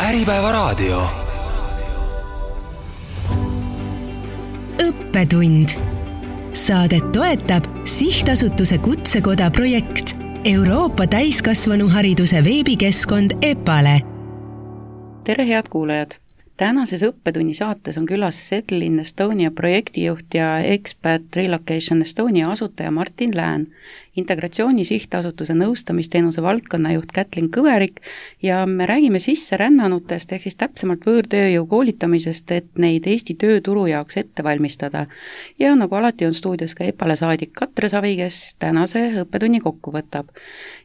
Äripäevaraadio. Õppetund. Saadet toetab Sihtasutuse Kutsekoda projekt Euroopa täiskasvanuhariduse veebikeskkond EPALE. Tere head kuulajad! Tänases õppetunni saates on külas Settle in Estonia projektijuht ja Expat Relocation Estonia asutaja Martin Lään, Integratsiooni Sihtasutuse nõustamisteenuse valdkonnajuht Kätlin Kõverik ja me räägime sisserännanutest ehk siis täpsemalt võõrtööjõu koolitamisest, et neid Eesti tööturu jaoks ette valmistada. Ja nagu alati on stuudios ka EPALE saadik Katre Savi, kes tänase õppetunni kokku võtab.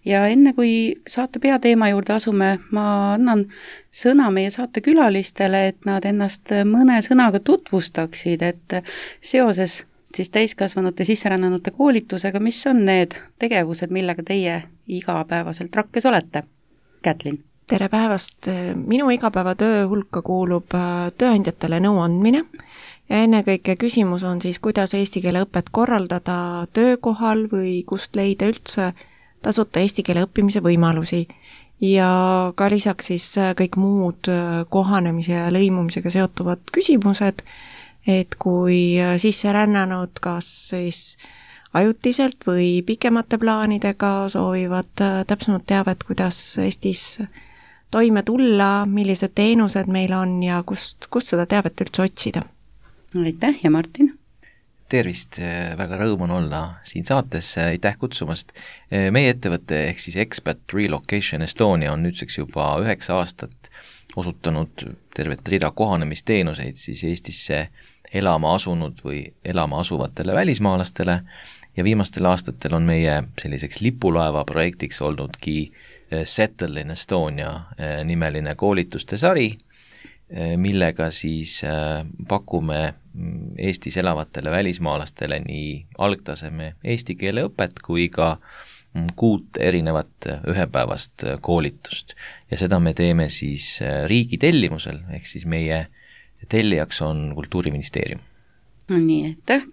Ja enne kui saate peateema juurde asume, ma annan sõna meie saate külalistele, et nad ennast mõne sõnaga tutvustaksid, et seoses siis täiskasvanute sisserännanute koolitusega, mis on need tegevused, millega teie igapäevaselt rakkes olete? Kätlin. Tere päevast! Minu igapäevatöö hulka kuulub tööandjatele nõu andmine ja ennekõike küsimus on siis, kuidas eesti keele õpet korraldada töökohal või kust leida üldse tasuta eesti keele õppimise võimalusi ja ka lisaks siis kõik muud kohanemise ja lõimumisega seotuvad küsimused, et kui sisserännanud kas siis ajutiselt või pikemate plaanidega soovivad täpsemalt teavet, kuidas Eestis toime tulla, millised teenused meil on ja kust seda teavet üldse otsida. Aitäh ja Martin! Tervist, väga rõõm on olla siin saates, aitäh kutsumast. Meie ettevõte ehk siis Expat Relocation Estonia on nüüdseks juba 9 aastat osutanud tervet rida kohanemisteenuseid siis Eestisse elama asunud või elama asuvatele välismaalastele ja viimastel aastatel on meie selliseks lipulaeva projektiks olnudki Settle in Estonia nimeline koolituste sari, millega siis pakume Eestis elavatele välismaalastele nii algtaseme eesti keele õpet kui ka 6 erinevat ühepäevast koolitust. Ja seda me teeme siis riigi tellimusel, ehk siis meie tellijaks on Kultuuriministeerium. Nii, aitäh,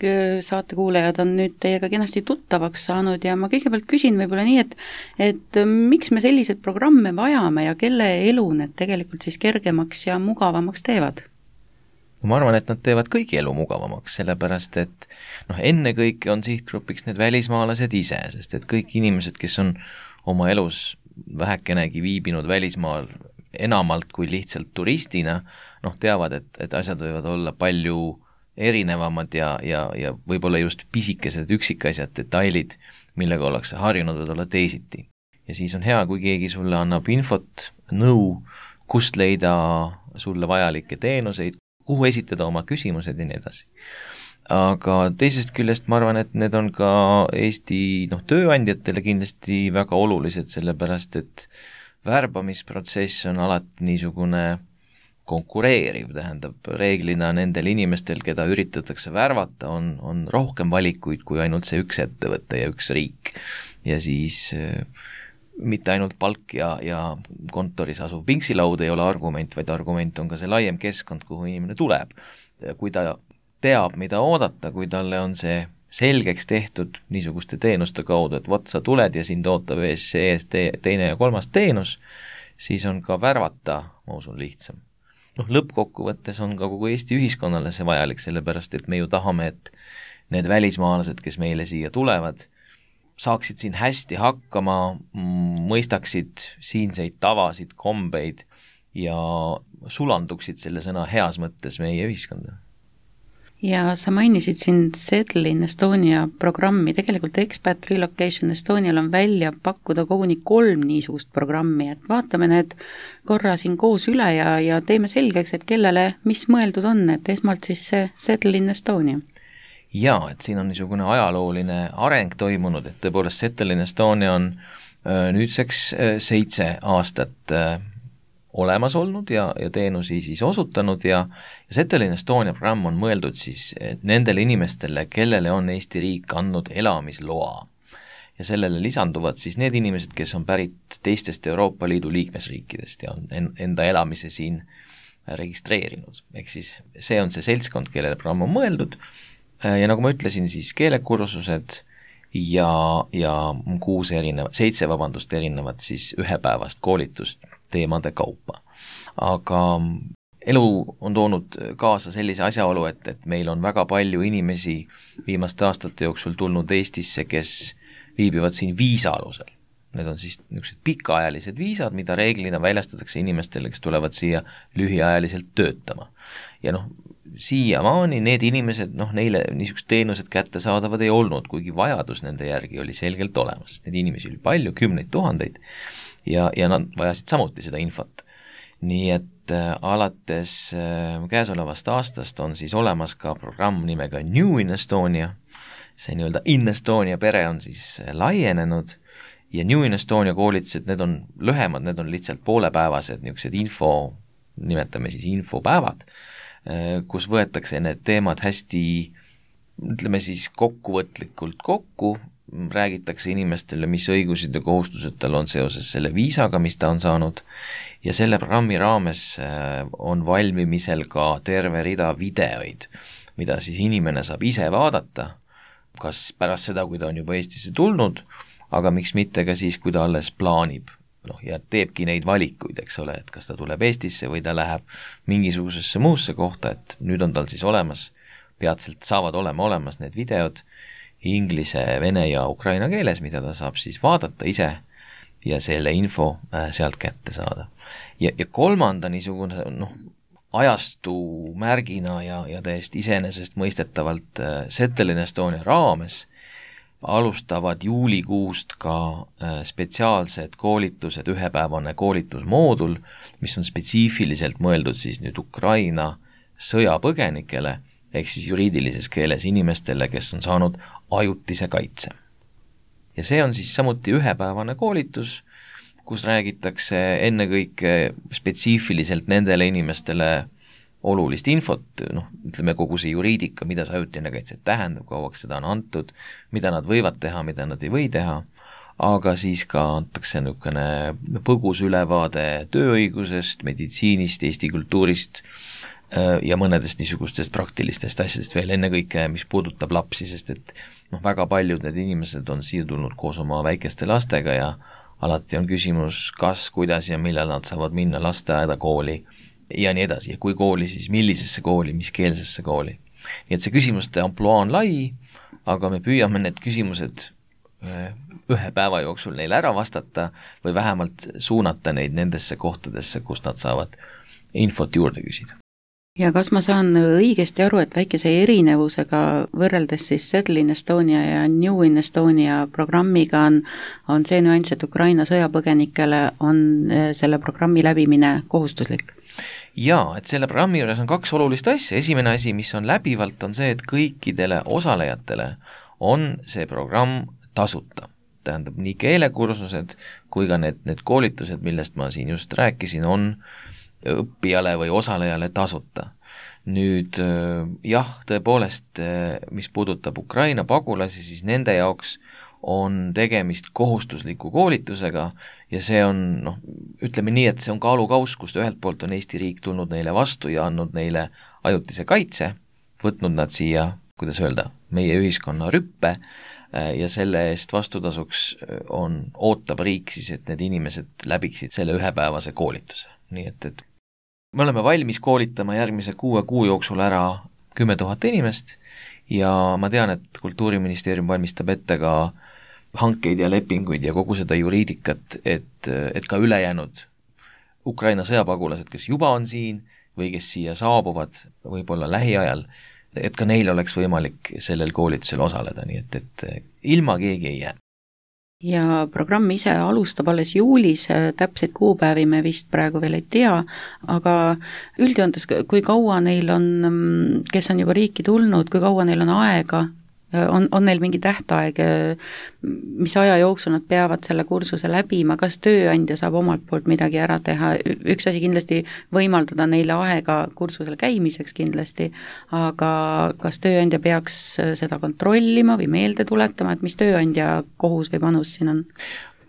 saatekuulajad on nüüd teiega kenasti tuttavaks saanud ja ma kõigepealt küsin võib-olla nii, et miks me sellised programme vajame ja kelle elu need tegelikult siis kergemaks ja mugavamaks teevad? Ma arvan, et nad teevad kõigi elu mugavamaks, sellepärast et ennekõike on sihtgrupiks need välismaalased ise, sest et kõik inimesed, kes on oma elus vähekenegi viibinud välismaal enamalt kui lihtsalt turistina, teavad, et asjad võivad olla palju erinevamad ja võib-olla just pisikesed üksikasjad, detailid, millega ollakse harjunud, võivad olla teisiti. Ja siis on hea, kui keegi sulle annab infot, nõu, kust leida sulle vajalikke teenuseid, kuhu esitada oma küsimused ja nii edasi. Aga teisest küljest ma arvan, et need on ka Eesti tööandjatele kindlasti väga olulised, sellepärast et värbamisprotsess on alati niisugune konkureeriv, tähendab reeglina nendel inimestel, keda üritatakse värvata, on rohkem valikuid kui ainult see üks ettevõte ja üks riik. Ja siis mitte ainult palk ja kontoris asuv pingsilaud ei ole argument, vaid argument on ka see laiem keskkond, kuhu inimene tuleb. Kui ta teab, mida oodata, kui talle on see selgeks tehtud niisuguste teenuste kaudu, et sa tuled ja sind ootab ees see teine ja kolmas teenus, siis on ka värvata, ma usun, lihtsam. Lõppkokkuvõttes on ka kogu Eesti ühiskonnale see vajalik, sellepärast et me ju tahame, et need välismaalased, kes meile siia tulevad, saaksid siin hästi hakkama, mõistaksid siinseid tavasid, kombeid ja sulanduksid selle sõna heas mõttes meie ühiskonda. Ja sa mainisid siin Settle in Estonia programmi, tegelikult Expat Relocation Estonial on välja pakkuda koguni 3 niisugust programmi, et vaatame need korra siin koos üle ja teeme selgeks, et kellele mis mõeldud on, et esmalt siis see Settle in Estonia. Jaa, et siin on niisugune ajalooline areng toimunud, et tõepoolest Settle in Estonia on nüüdseks 7 aastat olemas olnud ja teenusi siis osutanud ja Settle in Estonia programm on mõeldud siis nendele inimestele, kellele on Eesti riik andnud elamisloa. Ja sellele lisanduvad siis need inimesed, kes on pärit teistest Euroopa Liidu liikmesriikidest ja on enda elamise siin registreerinud. Ehk siis see on see seltskond, kellele programm on mõeldud ja nagu ma ütlesin, siis keelekursused ja 7 erinevat siis ühepäevast koolitust teemade kaupa. Aga elu on toonud kaasa sellise asjaolu, et meil on väga palju inimesi viimaste aastate jooksul tulnud Eestisse, kes viibivad siin viisa alusel. Need on siis niisugused pikaajalised viisad, mida reeglina väljastatakse inimestele, kes tulevad siia lühiajaliselt töötama. Ja siiamaani need inimesed, neile niisugused teenused kättesaadavad ei olnud, kuigi vajadus nende järgi oli selgelt olemas. Need inimesi oli palju, 10 000 ja nad vajasid samuti seda infot. Nii et alates käesolevast aastast on siis olemas ka programm nimega New in Estonia. See nii-öelda In Estonia pere on siis laienenud ja New in Estonia koolitused, need on lühemad, need on lihtsalt poolepäevased niisugused nimetame siis infopäevad, kus võetakse need teemad hästi, ütleme siis kokkuvõtlikult kokku, räägitakse inimestele, mis õigused ja kohustused tal on seoses selle viisaga, mis ta on saanud, ja selle programmi raames on valmimisel ka terve rida videoid, mida siis inimene saab ise vaadata, kas pärast seda, kui ta on juba Eestisse tulnud, aga miks mitte ka siis, kui ta alles plaanib, ja teebki neid valikuid, eks ole, et kas ta tuleb Eestisse või ta läheb mingisugusesse muusse kohta, et nüüd on tal siis olemas, peatselt saavad olema olemas need videod, inglise, vene ja ukraina keeles, mida ta saab siis vaadata ise ja selle info sealt kätte saada. Ja kolmanda niisugune ajastu märgina ja täiesti iseenesest mõistetavalt Settle in Estonia raames alustavad juulikuust ka spetsiaalsed koolitused, ühepäevane koolitusmoodul, mis on spetsiifiliselt mõeldud siis nüüd Ukraina sõjapõgenikele, ehk siis juriidilises keeles inimestele, kes on saanud ajutise kaitse. Ja see on siis samuti ühepäevane koolitus, kus räägitakse ennekõike spetsiifiliselt nendele inimestele olulist infot, ütleme kogu see juriidika, mida see ajutine kaitse tähendab, kauaks seda on antud, mida nad võivad teha, mida nad ei või teha, aga siis ka antakse niisugune põgus ülevaade tööõigusest, meditsiinist, Eesti kultuurist ja mõnedest niisugustest praktilistest asjadest veel ennekõike, mis puudutab lapsi, sest et väga paljud need inimesed on siia tulnud koos oma väikeste lastega ja alati on küsimus, kas, kuidas ja millal nad saavad minna lasteaeda, kooli ja nii edasi. Ja kui kooli, siis millisesse kooli, mis keelsesse kooli. Nii et see küsimuste ampluaa on lai, aga me püüame need küsimused ühe päeva jooksul neile ära vastata või vähemalt suunata neid nendesse kohtadesse, kus nad saavad infot juurde küsida. Ja kas ma saan õigesti aru, et väikese erinevusega võrreldes siis Settle in Estonia ja New in Estonia programmiga on see nüanss, et Ukraina sõjapõgenikele on selle programmi läbimine kohustuslik? Jaa, et selle programmi juures on 2 olulist asja. Esimene asi, mis on läbivalt, on see, et kõikidele osalejatele on see programm tasuta. Tähendab, nii keelekursused kui ka need koolitused, millest ma siin just rääkisin, on õppijale või osalejale tasuta. Nüüd jah, tõepoolest, mis puudutab Ukraina pagulasi, siis nende jaoks on tegemist kohustusliku koolitusega ja see on, ütleme nii, et see on kaalukauss, kust ühelt poolt on Eesti riik tulnud neile vastu ja andnud neile ajutise kaitse, võtnud nad siia, kuidas öelda, meie ühiskonna rüppe ja selle eest vastutasuks ootab riik siis, et need inimesed läbiksid selle ühepäevase koolituse. Nii et me oleme valmis koolitama järgmise 6 kuu jooksul ära 10 000 inimest ja ma tean, et Kultuuriministeerium valmistab ette ka hankeid ja lepinguid ja kogu seda juriidikat, et ka ülejäänud Ukraina sõjapagulased, kes juba on siin või kes siia saabuvad võib-olla lähiajal, et ka neil oleks võimalik sellel koolitusel osaleda, nii et ilma keegi ei jää. Ja programm ise alustab alles juulis, täpseid kuupäevi me vist praegu veel ei tea, aga üldjoontes, kui kaua neil on, kes on juba riiki tulnud, kui kaua neil on aega, on neil mingi tähtaeg, mis aja jooksul nad peavad selle kursuse läbima, kas tööandja saab omalt poolt midagi ära teha, üks asi kindlasti võimaldada neile aega kursusel käimiseks kindlasti, aga kas tööandja peaks seda kontrollima või meelde tuletama, et mis tööandja kohus või panus siin on?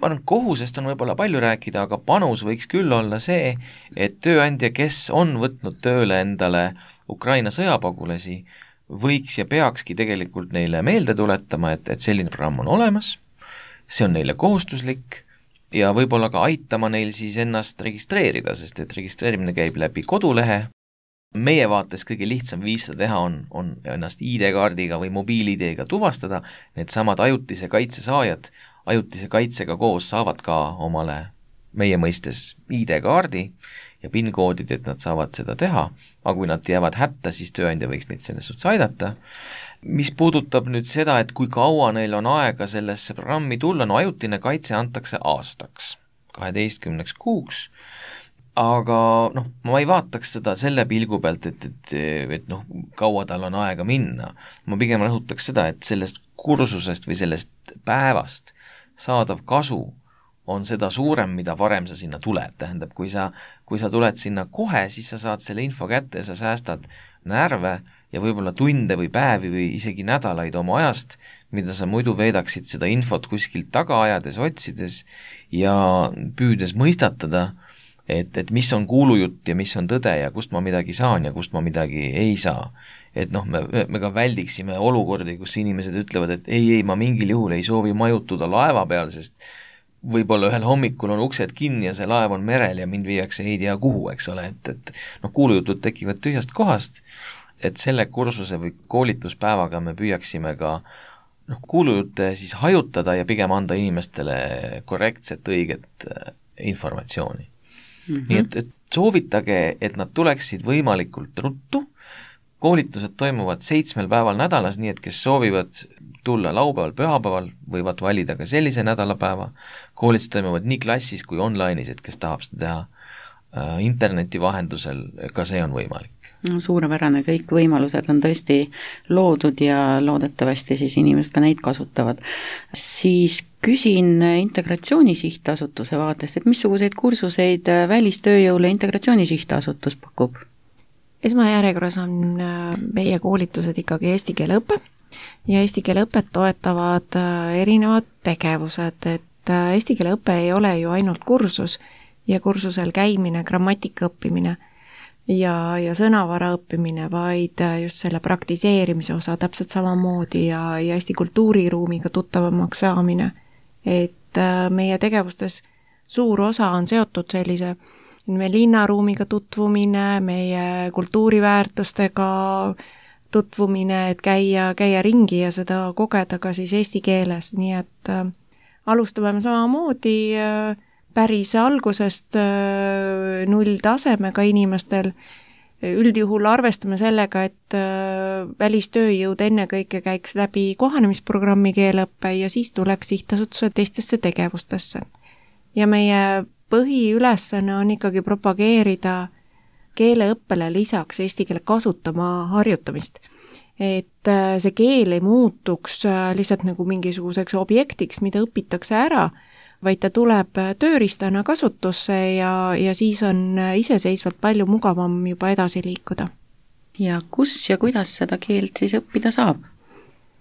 Ma arvan, kohusest on võib-olla palju rääkida, aga panus võiks küll olla see, et tööandja, kes on võtnud tööle endale Ukraina sõjapagulasi, võiks ja peakski tegelikult neile meelde tuletama, et selline programm on olemas, see on neile kohustuslik ja võib-olla ka aitama neil siis ennast registreerida, sest et registreerimine käib läbi kodulehe. Meie vaates kõige lihtsam viis seda teha on ennast ID-kaardiga või mobiil-ID-ga tuvastada, need samad ajutise kaitse saajad ajutise kaitsega koos saavad ka omale meie mõistes ID-kaardi ja PIN-koodid, et nad saavad seda teha, aga kui nad jäävad hätta, siis tööandja võiks neid selles suhtes aidata. Mis puudutab nüüd seda, et kui kaua neil on aega sellesse programmi tulla, no ajutine kaitse antakse aastaks, 12 kuuks, aga ma ei vaataks seda selle pilgu pealt, et kaua tal on aega minna. Ma pigem rõhutaks seda, et sellest kursusest või sellest päevast saadav kasu on seda suurem, mida varem sa sinna tuled. Tähendab, kui sa tuled sinna kohe, siis sa saad selle info kätte, sa säästad närve ja võib-olla tunde või päevi või isegi nädalaid oma ajast, mida sa muidu veedaksid seda infot kuskilt taga ajades, otsides ja püüdes mõistatada, et mis on kuulujutt ja mis on tõde ja kust ma midagi saan ja kust ma midagi ei saa. Et me ka väldiksime olukordi, kus inimesed ütlevad, et ei, ma mingil juhul ei soovi majutuda laeva peal, sest võib-olla ühel hommikul on uksed kinni ja see laev on merel ja mind viiakse ei tea kuhu, eks ole, et kuulujutud tekivad tühjast kohast, et selle kursuse või koolituspäevaga me püüaksime ka kuulujutte siis hajutada ja pigem anda inimestele korrektset, õiget informatsiooni. Nii et soovitage, et nad tuleksid võimalikult ruttu. Koolitused toimuvad 7 päeval nädalas, nii et kes soovivad tulla laupäeval, pühapäeval, võivad valida ka sellise nädalapäeva. Koolitused toimuvad nii klassis kui online'is, et kes tahab seda teha interneti vahendusel, ka see on võimalik. Suurepärane, kõik võimalused on tõesti loodud ja loodetavasti siis inimesed ka neid kasutavad. Siis küsin Integratsiooni Sihtasutuse vaatest, et missuguseid kursuseid välistööjõule Integratsiooni Sihtasutus pakub? Esmajärjekorras on meie koolitused ikkagi eesti keele õpe ja eesti keele õpet toetavad erinevad tegevused, et eesti keele õpe ei ole ju ainult kursus ja kursusel käimine, grammatika õppimine ja sõnavara õppimine, vaid just selle praktiseerimise osa täpselt samamoodi ja Eesti kultuuriruumiga tuttavamaks saamine. Et meie tegevustes suur osa on seotud sellise meie linnaruumiga tutvumine, meie kultuuriväärtustega tutvumine, et käia ringi ja seda kogeda ka siis eesti keeles, nii et alustame samamoodi päris algusest nulltasemega inimestel. Üldjuhul arvestame sellega, et välistööjõud ennekõike käiks läbi kohanemisprogrammi keeleõppe ja siis tuleks sihtasutuse teistesse tegevustesse. Ja meie põhiülesanne on ikkagi propageerida keeleõppele lisaks eesti keele kasutama harjutamist. Et see keel ei muutuks lihtsalt nagu mingisuguseks objektiks, mida õpitakse ära, vaid ta tuleb tööriistana kasutusse ja siis on iseseisvalt palju mugavam juba edasi liikuda. Ja kus ja kuidas seda keelt siis õppida saab?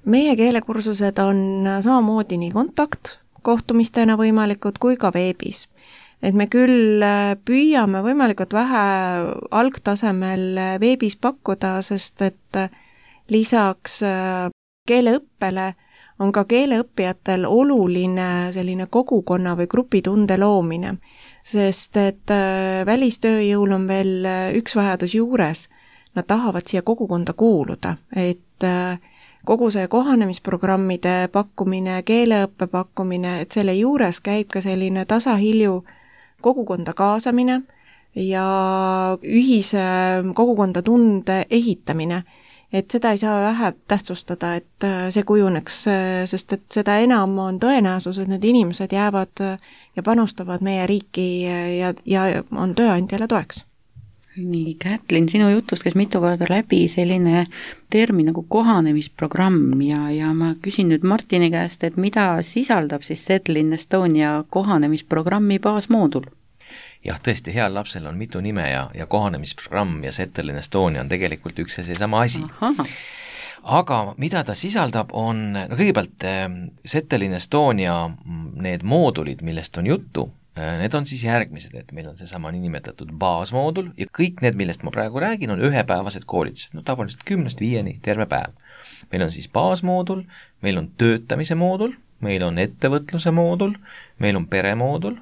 Meie keelekursused on samamoodi nii kontaktkohtumistena võimalikud kui ka veebis. Et me küll püüame võimalikult vähe algtasemel veebis pakkuda, sest et lisaks keeleõppele on ka keeleõppijatel oluline selline kogukonna või grupitunde loomine, sest et välistööjõul on veel üks vajadus juures. Nad tahavad siia kogukonda kuuluda, et kogu see kohanemisprogrammide pakkumine, keeleõppe pakkumine, et selle juures käib ka selline tasahilju kogukonda kaasamine ja ühise kogukonda tunde ehitamine. Et seda ei saa vähe tähtsustada, et see kujuneks, sest et seda enam on tõenäosus, et need inimesed jäävad ja panustavad meie riiki ja on tööandjale toeks. Nii, Kätlin, sinu jutust käis mitu korda läbi selline termin nagu kohanemisprogramm ja ma küsin nüüd Martini käest, et mida sisaldab siis Settle in Estonia kohanemisprogrammi baasmoodul? Jah, tõesti, heal lapsel on mitu nime ja kohanemisprogramm ja Settle in Estonia on tegelikult üks ja seesama asi. Aha. Aga mida ta sisaldab on, kõigepealt Settle in Estonia need moodulid, millest on juttu, need on siis järgmised, et meil on seesama nimetatud baasmoodul ja kõik need, millest ma praegu räägin, on ühepäevased koolitused, tavaliselt 10-5 terve päev. Meil on siis baasmoodul, meil on töötamise moodul, meil on ettevõtluse moodul, meil on peremoodul,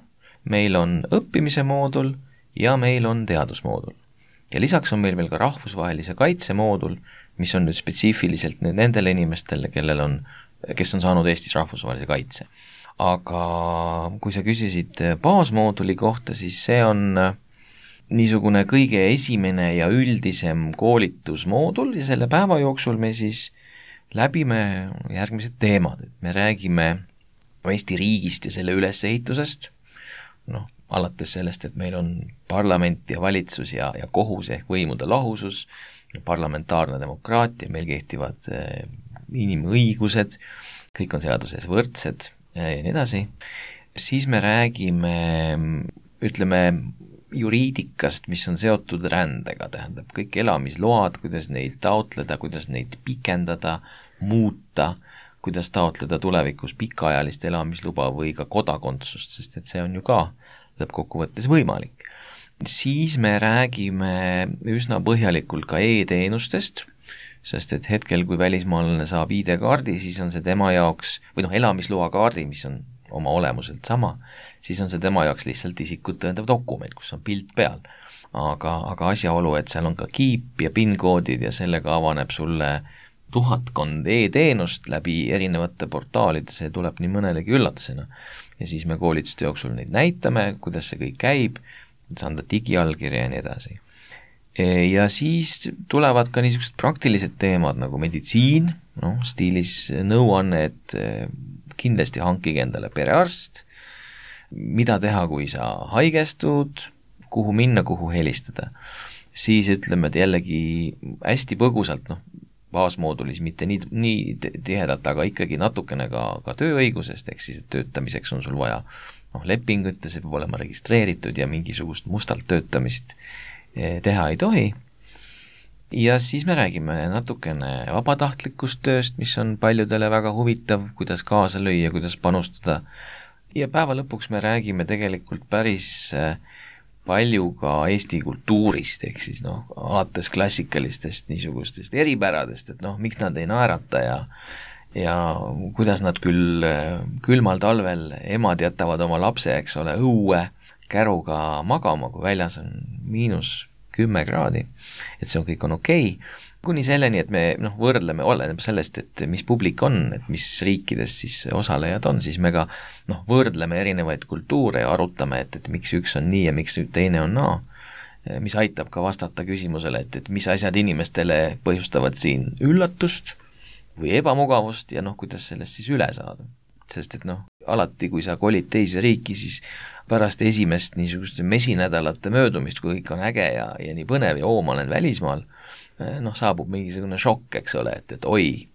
meil on õppimise moodul ja meil on teadusmoodul. Ja lisaks on meil veel ka rahvusvahelise kaitse moodul, mis on nüüd spetsiifiliselt nendele inimestele, kes on saanud Eestis rahvusvahelise kaitse. Aga kui sa küsisid baasmooduli kohta, siis see on niisugune kõige esimene ja üldisem koolitusmoodul ja selle päeva jooksul me siis läbime järgmised teemad, et me räägime Eesti riigist ja selle ülesehitusest, alates sellest, et meil on parlament ja valitsus ja kohus ehk võimude lahusus, parlamentaarne demokraatia, meil kehtivad inimõigused, kõik on seaduses võrdsed ja nii edasi. Siis me räägime, ütleme, juriidikast, mis on seotud rändega, tähendab kõik elamisload, kuidas neid taotleda, kuidas neid pikendada, muuta, kuidas taotleda tulevikus pikaajalist elamisluba või ka kodakondsust, sest et see on ju ka lõppkokkuvõttes võimalik. Siis me räägime üsna põhjalikult ka e-teenustest, sest et hetkel, kui välismaalane saab ID-kaardi, siis on see tema jaoks, või elamisloa kaardi, mis on oma olemuselt sama, siis on see tema jaoks lihtsalt isikut tõendav dokument, kus on pilt peal. Aga asjaolu, et seal on ka kiip ja PIN-koodid ja sellega avaneb sulle 1000 e-teenust läbi erinevate portaalide, see tuleb nii mõnelegi üllatusena. Ja siis me koolituste jooksul neid näitame, kuidas see kõik käib, kuidas anda digiallkirja ja nii edasi. Ja siis tulevad ka niisugused praktilised teemad nagu meditsiin, stiilis nõuanne, et kindlasti hankige endale perearst, mida teha, kui sa haigestud, kuhu minna, kuhu helistada. Siis ütleme, et jällegi hästi põgusalt, baasmoodulis mitte nii tihedalt, aga ikkagi natukene ka tööõigusest, ehk siis töötamiseks on sul vaja lepingut ja see peab olema registreeritud ja mingisugust mustalt töötamist teha ei tohi. Ja siis me räägime natukene vabatahtlikust tööst, mis on paljudele väga huvitav, kuidas kaasa lüüa, kuidas panustada. Ja päeva lõpuks me räägime tegelikult päris palju ka Eesti kultuurist, ehk siis alates klassikalistest niisugustest eripäradest, et miks nad ei naerata ja kuidas nad küll külmal talvel emad jätavad oma lapse, eks ole, õue käruga magama, kui väljas on -10 kraadi, et see kõik on okei. Kuni selleni, et me võrdleme, oleneb sellest, et mis publik on, et mis riikidest siis osalejad on, siis me ka võrdleme erinevaid kultuure ja arutame, et miks üks on nii ja miks teine on naa, mis aitab ka vastata küsimusele, et mis asjad inimestele põhjustavad siin üllatust või ebamugavust ja kuidas sellest siis üle saada. Sest et alati, kui sa kolid teise riiki, siis pärast esimest niisuguste mesinädalate möödumist, kui kõik on äge ja nii põnev ja ma olen välismaal, saabub mingisugune šokk, eks ole, et oi,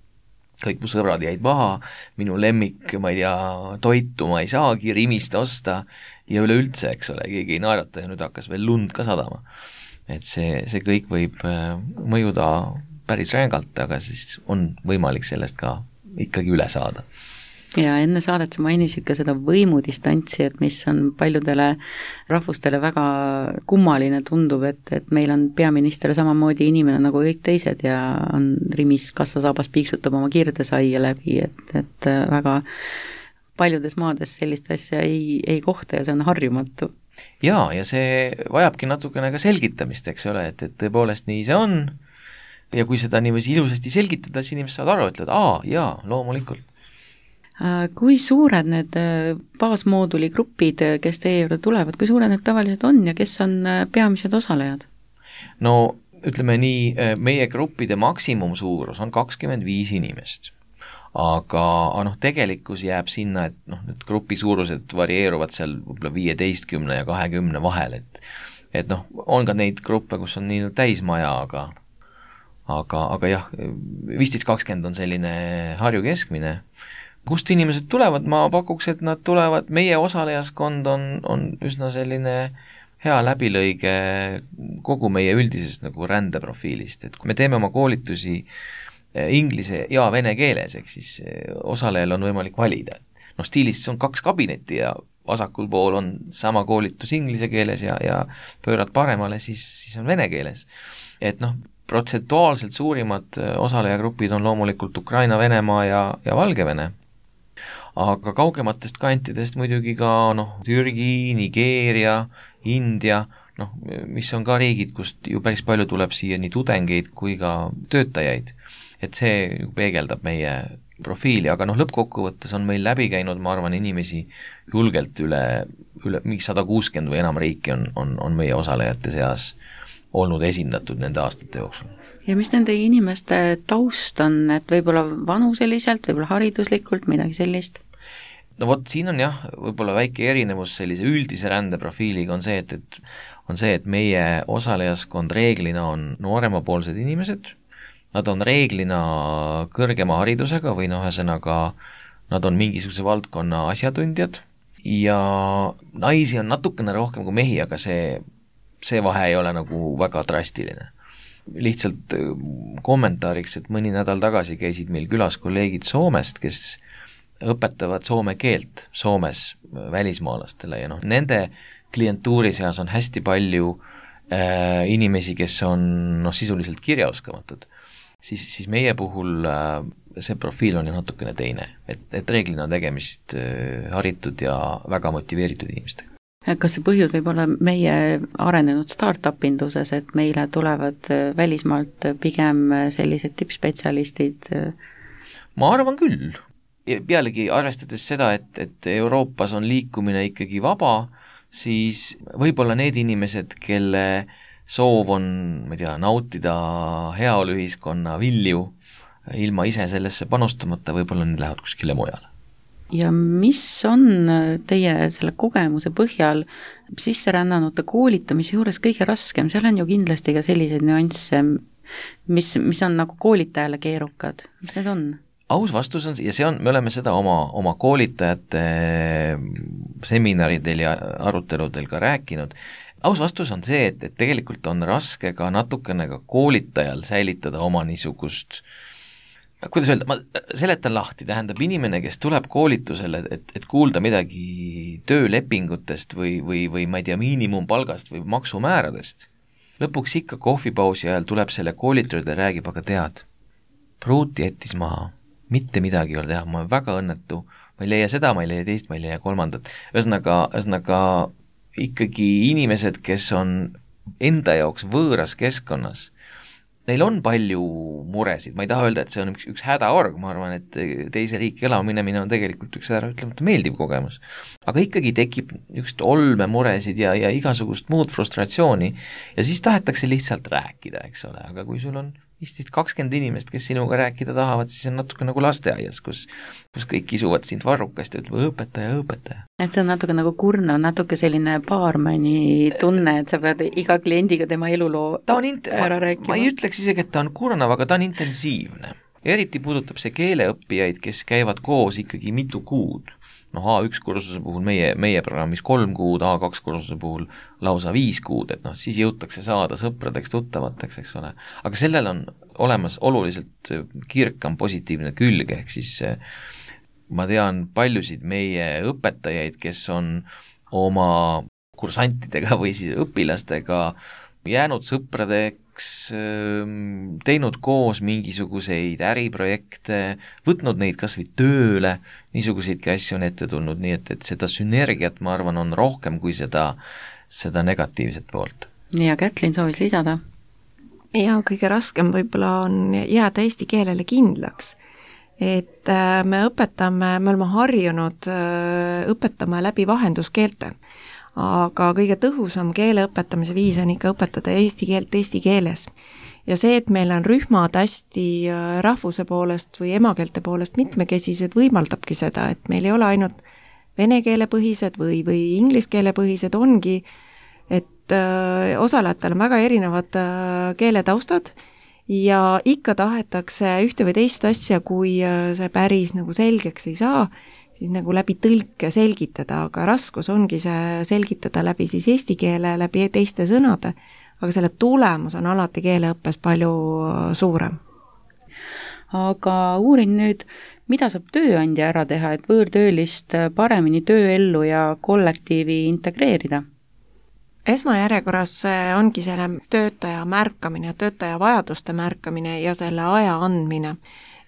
kõik mu sõbrad jäid maha, minu lemmik, ma ei tea, toitu ma ei saagi Rimist osta ja üleüldse, eks ole, keegi ei naerata ja nüüd hakkas veel lund ka sadama. Et see kõik võib mõjuda päris rängalt, aga siis on võimalik sellest ka ikkagi üle saada. Ja enne saadet sa mainisid ka seda võimudistantsi, et mis on paljudele rahvustele väga kummaline tundub, et meil on peaminister samamoodi inimene nagu kõik teised ja on Rimis kassasaabas piiksutab oma kirdesaia läbi, et väga paljudes maades sellist asja ei kohta ja see on harjumatu. Ja see vajabki natukene ka selgitamist, eks ole, et tõepoolest nii see on ja kui seda niiviisi ilusasti selgitada, siis inimesed saavad aru, ütlevad, jaa, loomulikult. Kui suured need baasmooduli grupid, kes teie juurde tulevad, kui suured need tavaliselt on ja kes on peamised osalejad? No ütleme nii, meie gruppide maksimumsuurus on 25 inimest, aga tegelikkus jääb sinna, et need grupi suurused varieeruvad seal võib-olla 15 ja 20 vahel, et on ka neid gruppe, kus on nii täismaja, aga jah, 15-20 on selline Harju keskmine. Kust inimesed tulevad, ma pakuks, et nad tulevad, meie osalejaskond on üsna selline hea läbilõige kogu meie üldisest rändeprofiilist, et kui me teeme oma koolitusi inglise ja vene keeles, ehk siis osalejal on võimalik valida. Stiilis on 2 kabinetti ja vasakul pool on sama koolitus inglise keeles ja pöörad paremale, siis on vene keeles. Et protsentuaalselt suurimad osalejagrupid on loomulikult Ukraina, Venemaa ja Valgevene. aga kaugematest kantidest muidugi ka Türgi, Nigeeria, India, mis on ka riigid, kust ju päris palju tuleb siia nii tudengeid kui ka töötajaid. Et see peegeldab meie profiili, aga lõppkokkuvõttes on meil läbi käinud, ma arvan, inimesi julgelt üle mingi 160 või enam riiki on meie osalejate seas olnud esindatud nende aastate jooksul. Ja mis nende inimeste taust on, et võib-olla vanuseliselt, võib-olla hariduslikult, midagi sellist? No vot, siin on jah, võib-olla väike erinevus sellise üldise rändeprofiiliga on see, et meie osalejaskond reeglina on nooremapoolsed inimesed, nad on reeglina kõrgema haridusega või ühesõnaga nad on mingisuguse valdkonna asjatundjad ja naisi on natukene rohkem kui mehi, aga see vahe ei ole nagu väga drastiline. Lihtsalt kommentaariks, et mõni nädal tagasi käisid meil külas kolleegid Soomest, kes õpetavad soome keelt Soomes välismaalastele ja nende klientuuri seas on hästi palju inimesi, kes on sisuliselt kirjaoskamatud. Siis meie puhul see profiil on ju natukene teine, et reeglina on tegemist haritud ja väga motiveeritud inimestega. Kas see põhjus võib olla meie arenenud startup-induses, et meile tulevad välismaalt pigem sellised tippspetsialistid? Ma arvan küll. Pealegi arvestades seda, et Euroopas on liikumine ikkagi vaba, siis võib-olla need inimesed, kelle soov on, ma ei tea, nautida heaoluühiskonna vilju ilma ise sellesse panustamata, võib-olla need lähevad kuskile mujale. Ja mis on teie selle kogemuse põhjal sisserännanute koolitamise juures kõige raskem? Seal on ju kindlasti ka selliseid nüansse, mis on nagu koolitajale keerukad. Mis need on? Aus vastus on, ja me oleme seda oma koolitajate seminaridel ja aruteludel ka rääkinud. Aus vastus on see, et tegelikult on raske ka natukene ka koolitajal säilitada oma niisugust, kuidas öelda, ma seletan lahti, tähendab inimene, kes tuleb koolitusele, et kuulda midagi töölepingutest või ma ei tea, miinimumpalgast või maksumääradest. Lõpuks ikka kohvipausi ajal tuleb selle koolitajale ja räägib, aga tead, pruuti jättis maha, mitte midagi ei ole teha, ma olen väga õnnetu, ma ei leia seda, ma ei leia teist, ma ei leia kolmandat. Ühesõnaga ikkagi inimesed, kes on enda jaoks võõras keskkonnas, neil on palju muresid, ma ei taha öelda, et see on üks hädaorg, ma arvan, et teise riiki elaminemine on tegelikult üks ütlemata meeldiv kogemus. Aga ikkagi tekib üks olme muresid ja igasugust muud frustratsiooni ja siis tahetakse lihtsalt rääkida, eks ole, aga kui sul on 15-20 inimest, kes sinuga rääkida tahavad, siis on natuke nagu lasteaias, kus kõik kisuvad sind varrukast ja ütleb õpetaja. Et see on natuke nagu kurnav, natuke selline baarmani tunne, et sa pead iga kliendiga tema eluloo ära rääkima. Ma ei ütleks isegi, et ta on kurnav, aga ta on intensiivne. Eriti puudutab see keeleõppijaid, kes käivad koos ikkagi mitu kuud. A1 kursuse puhul meie programmis 3 kuud, A2 kursuse puhul lausa 5 kuud, et siis jõutakse saada sõpradeks, tuttavateks, eks ole. Aga sellel on olemas oluliselt kirkam positiivne külg, ehk siis ma tean paljusid meie õpetajaid, kes on oma kursantidega või siis õpilastega jäänud sõpradeks, teinud koos mingisuguseid äriprojekte, võtnud neid kas või tööle, niisuguseidki asju on ette tulnud, nii et seda sünergiat, ma arvan, on rohkem kui seda negatiivset poolt. Ja Kätlin soovis lisada? Ja kõige raskem võib-olla on jääda eesti keelele kindlaks. Et me oleme harjunud õpetama läbi vahenduskeelte. Aga kõige tõhusam keele õpetamise viis on ikka õpetada eesti keelt eesti keeles. Ja see, et meil on rühmad hästi rahvuse poolest või emakeelte poolest mitmekesised, võimaldabki seda, et meil ei ole ainult vene keele põhised või inglise keele põhised, ongi, et osalejatel on väga erinevad keeletaustad ja ikka tahetakse ühte või teist asja, kui see päris nagu selgeks ei saa, siis nagu läbi tõlke selgitada, aga raskus ongi see selgitada läbi siis eesti keele, läbi teiste sõnade, aga selle tulemus on alati keeleõppes palju suurem. Aga uurin nüüd, mida saab tööandja ära teha, et võõrtöölist paremini tööellu ja kollektiivi integreerida? Esmajärjekorras ongi selle töötaja märkamine, töötaja vajaduste märkamine ja selle aja andmine.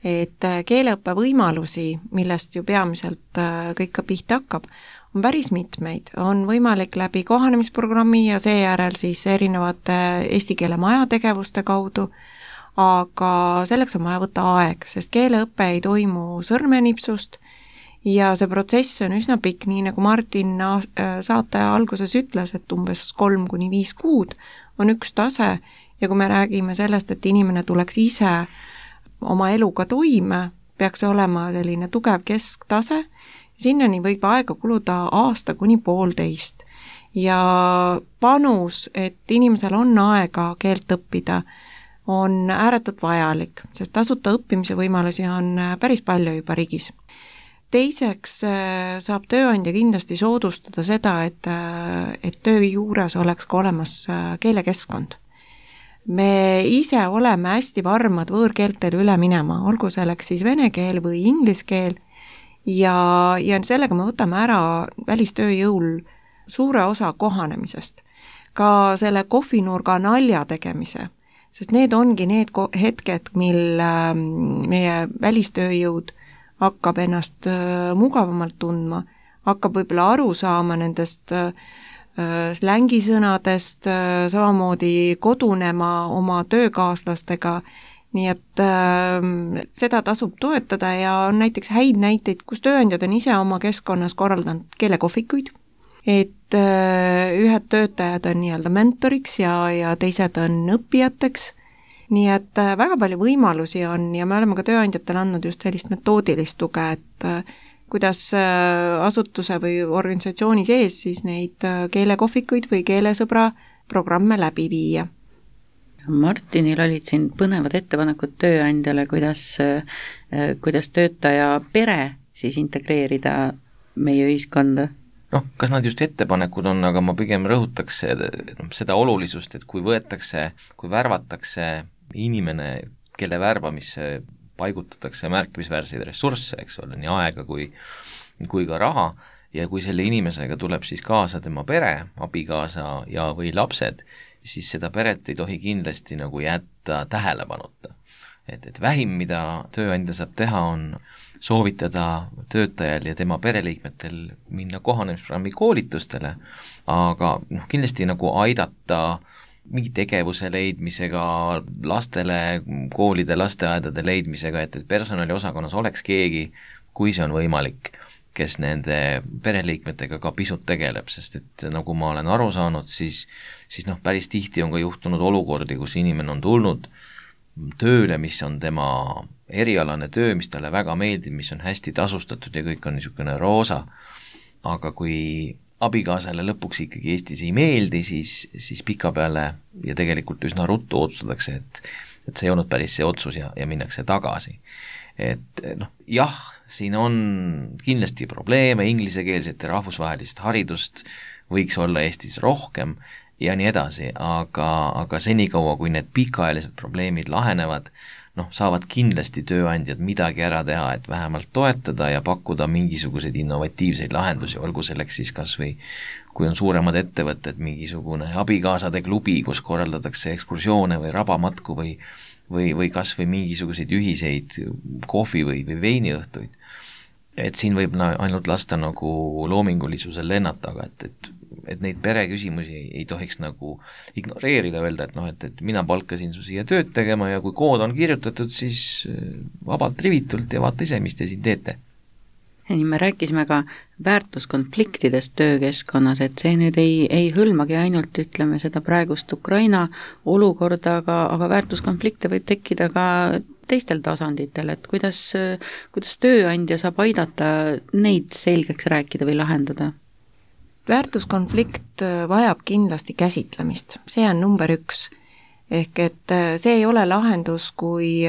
et keeleõppe võimalusi, millest ju peamiselt kõik ka pihta hakkab, on päris mitmeid. On võimalik läbi kohanemisprogrammi ja seejärel siis erinevate eesti keele maja tegevuste kaudu, aga selleks on vaja võtta aeg, sest keeleõpe ei toimu sõrmenipsust ja see protsess on üsna pikk, nii nagu Martin saate alguses ütles, et umbes 3-5 kuud on üks tase ja kui me räägime sellest, et inimene tuleks ise oma eluga toime, peaks olema selline tugev kesktase, sinnani võib aega kuluda 1–1,5 ja panus, et inimesel on aega keelt õppida, on ääretult vajalik, sest tasuta õppimise võimalusi on päris palju juba riigis. Teiseks saab tööandja kindlasti soodustada seda, et töö juures oleks ka olemas keelekeskkond. Me ise oleme hästi varmad võõrkeeltele üle minema, olgu selleks siis vene keel või inglise keel ja sellega me võtame ära välistööjõul suure osa kohanemisest. Ka selle kohvinurga nalja tegemise, sest need ongi need hetked, mil meie välistööjõud hakkab ennast mugavamalt tundma, hakkab võib-olla aru saama nendest slängisõnadest, samamoodi kodunema oma töökaaslastega, nii et seda tasub toetada ja on näiteks häid näiteid, kus tööandjad on ise oma keskkonnas korraldanud keelekohvikuid, et ühed töötajad on nii-öelda mentoriks ja teised on õppijateks, nii et väga palju võimalusi on ja me oleme ka tööandjatele andnud just sellist metoodilist tuge, et kuidas asutuse või organisatsiooni sees siis neid keelekohvikuid või keelesõbra programme läbi viia. Martinil olid siin põnevad ettepanekud tööandjale, kuidas töötaja pere siis integreerida meie ühiskonda. Kas nad just ettepanekud on, aga ma pigem rõhutaks seda olulisust, et kui värvatakse inimene, kelle värbamisse paigutatakse märkimisväärseid ressursse, eks ole, nii aega kui ka raha, ja kui selle inimesega tuleb siis kaasa tema pere, abikaasa ja või lapsed, siis seda peret ei tohi kindlasti nagu jätta tähelepanuta. Et vähim, mida tööandja saab teha, on soovitada töötajal ja tema pereliikmetel minna kohanemisprogrammi koolitustele, aga kindlasti nagu aidata mingi tegevuse leidmisega, lastele, koolide, lasteaedade leidmisega, et personaliosakonnas oleks keegi, kui see on võimalik, kes nende pereliikmetega ka pisut tegeleb, sest et nagu ma olen aru saanud, siis päris tihti on ka juhtunud olukordi, kus inimene on tulnud tööle, mis on tema erialane töö, mis talle väga meeldib, mis on hästi tasustatud ja kõik on niisugune roosa, aga kui abikaasale lõpuks ikkagi Eestis ei meeldi, siis pikapeale ja tegelikult üsna ruttu otsustatakse, et see ei olnud päris see otsus ja minnakse tagasi. Et jah, siin on kindlasti probleeme, inglisekeelset ja rahvusvahelist haridust võiks olla Eestis rohkem ja nii edasi, aga senikaua, kui need pikaajalised probleemid lahenevad, saavad kindlasti tööandjad midagi ära teha, et vähemalt toetada ja pakkuda mingisuguseid innovatiivseid lahendusi, olgu selleks siis kas või, kui on suuremad ettevõtted, mingisugune abikaasade klubi, kus korraldatakse ekskursioone või rabamatku või kas või mingisuguseid ühiseid kohvi või veiniõhtuid. Et siin võib ainult lasta nagu loomingulisusel lennata, aga et neid pereküsimusi ei tohiks nagu ignoreerida, öelda, et mina palkasin su siia tööd tegema ja kui kood on kirjutatud, siis vabalt rivitult ja vaata ise, mis te siin teete. Ja nii me rääkisime ka väärtuskonfliktidest töökeskkonnas, et see nüüd ei hõlmagi ainult, ütleme, seda praegust Ukraina olukorda, aga väärtuskonflikte võib tekkida ka teistel tasanditel, et kuidas tööandja saab aidata neid selgeks rääkida või lahendada? Väärtuskonflikt vajab kindlasti käsitlemist, see on number 1. Ehk et see ei ole lahendus, kui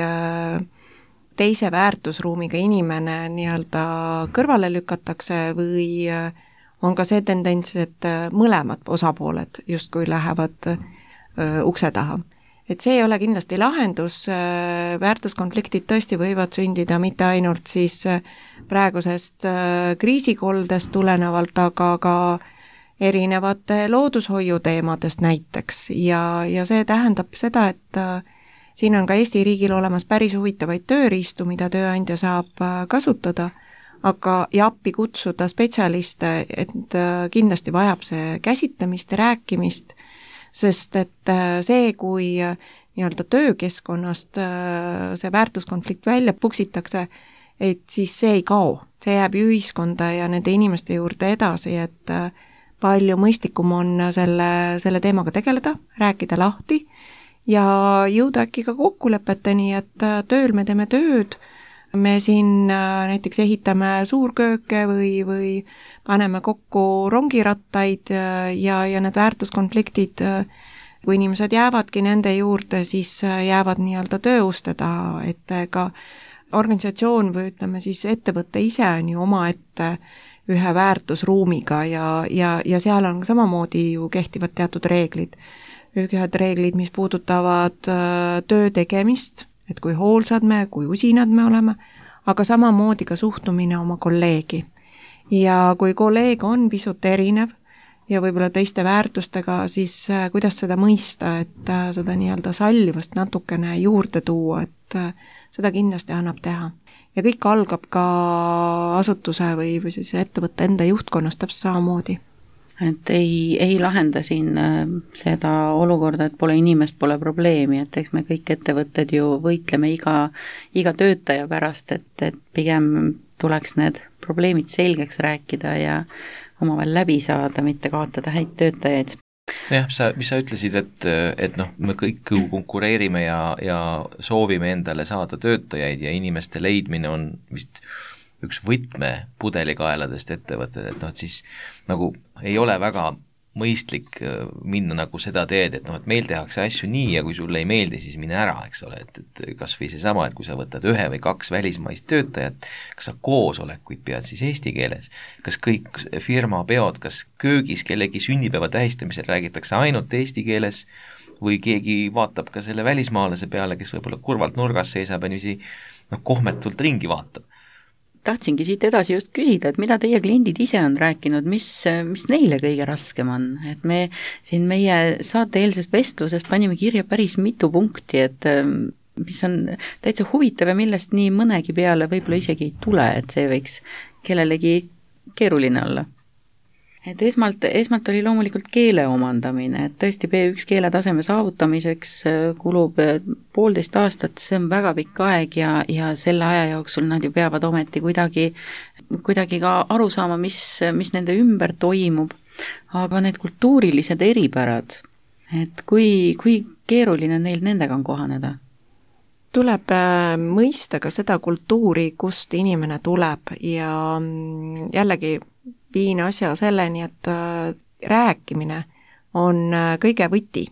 teise väärtusruumiga inimene nii-öelda kõrvale lükatakse või on ka see tendents, et mõlemad osapooled justkui lähevad ukse taha. Et see ei ole kindlasti lahendus, väärtuskonfliktid tõesti võivad sündida mitte ainult siis praegusest kriisikoldest tulenevalt, aga ka erinevate loodushoiuteemadest näiteks ja see tähendab seda, siin on ka Eesti riigil olemas päris huvitavaid tööriistu, mida tööandja saab kasutada, aga ja appi kutsuda spetsialiste, et kindlasti vajab see käsitlemist ja rääkimist, sest et see, kui nii-öelda töökeskkonnast see väärtuskonflikt välja puksitakse, et siis see ei kao, see jääb ju ühiskonda ja nende inimeste juurde edasi, et palju mõistlikum on selle teemaga tegeleda, rääkida lahti ja jõuda äkki ka kokkulepeteni, et tööl me teeme tööd, me siin näiteks ehitame suurkööke või paneme kokku rongirattaid ja need väärtuskonfliktid, kui inimesed jäävadki nende juurde, siis jäävad nii-öelda tööuste taha, et ka organisatsioon või ütleme siis ettevõte ise on ju omaette ühe väärtusruumiga ja seal on samamoodi ju kehtivad teatud reeglid. Ühed reeglid, mis puudutavad töö tegemist, et kui hoolsad me, kui usinad me oleme, aga samamoodi ka suhtumine oma kolleegi. Ja kui kolleeg on pisut erinev, ja võib-olla teiste väärtustega, siis kuidas seda mõista, et seda nii-öelda sallivust natukene juurde tuua, et seda kindlasti annab teha. Ja kõik algab ka asutuse või siis ettevõtte enda juhtkonnast täpselt samamoodi. Et ei lahenda siin seda olukorda, et pole inimest, pole probleemi, et eks me kõik ettevõtted ju võitleme iga töötaja pärast, et pigem tuleks need probleemid selgeks rääkida ja omavahel läbi saada, mitte kaotada häid töötajaid. Jah, mis sa ütlesid, et me kõik konkureerime ja soovime endale saada töötajaid ja inimeste leidmine on vist üks võtmepudelikaeladest ettevõtted, et siis nagu ei ole väga mõistlik minna nagu seda teed, et meil tehakse asju nii ja kui sulle ei meeldi, siis mine ära, eks ole, et kas või seesama, et kui sa võtad 1 või 2 välismaist töötajat, kas sa koosolekuid pead siis eesti keeles, kas kõik firma peod, kas köögis kellegi sünnipäeva tähistamisel räägitakse ainult eesti keeles või keegi vaatab ka selle välismaalase peale, kes võib-olla kurvalt nurgas seisab ja niiviisi kohmetult ringi vaatab. Tahtsingi siit edasi just küsida, et mida teie kliendid ise on rääkinud, mis neile kõige raskem on, et me siin meie saateeelses vestluses panime kirja päris mitu punkti, et mis on täitsa huvitav ja millest nii mõnegi peale võib-olla isegi ei tule, et see võiks kellelegi keeruline olla. Et esmalt oli loomulikult keele omandamine, et tõesti B1 keeletaseme saavutamiseks kulub 1,5 aastat, see on väga pikk aeg ja selle aja jooksul nad ju peavad ometi kuidagi ka aru saama, mis nende ümber toimub, aga need kultuurilised eripärad, et kui keeruline neil nendega on kohaneda? Tuleb mõista ka seda kultuuri, kust inimene tuleb ja jällegi viin asja selleni, et rääkimine on kõige võti,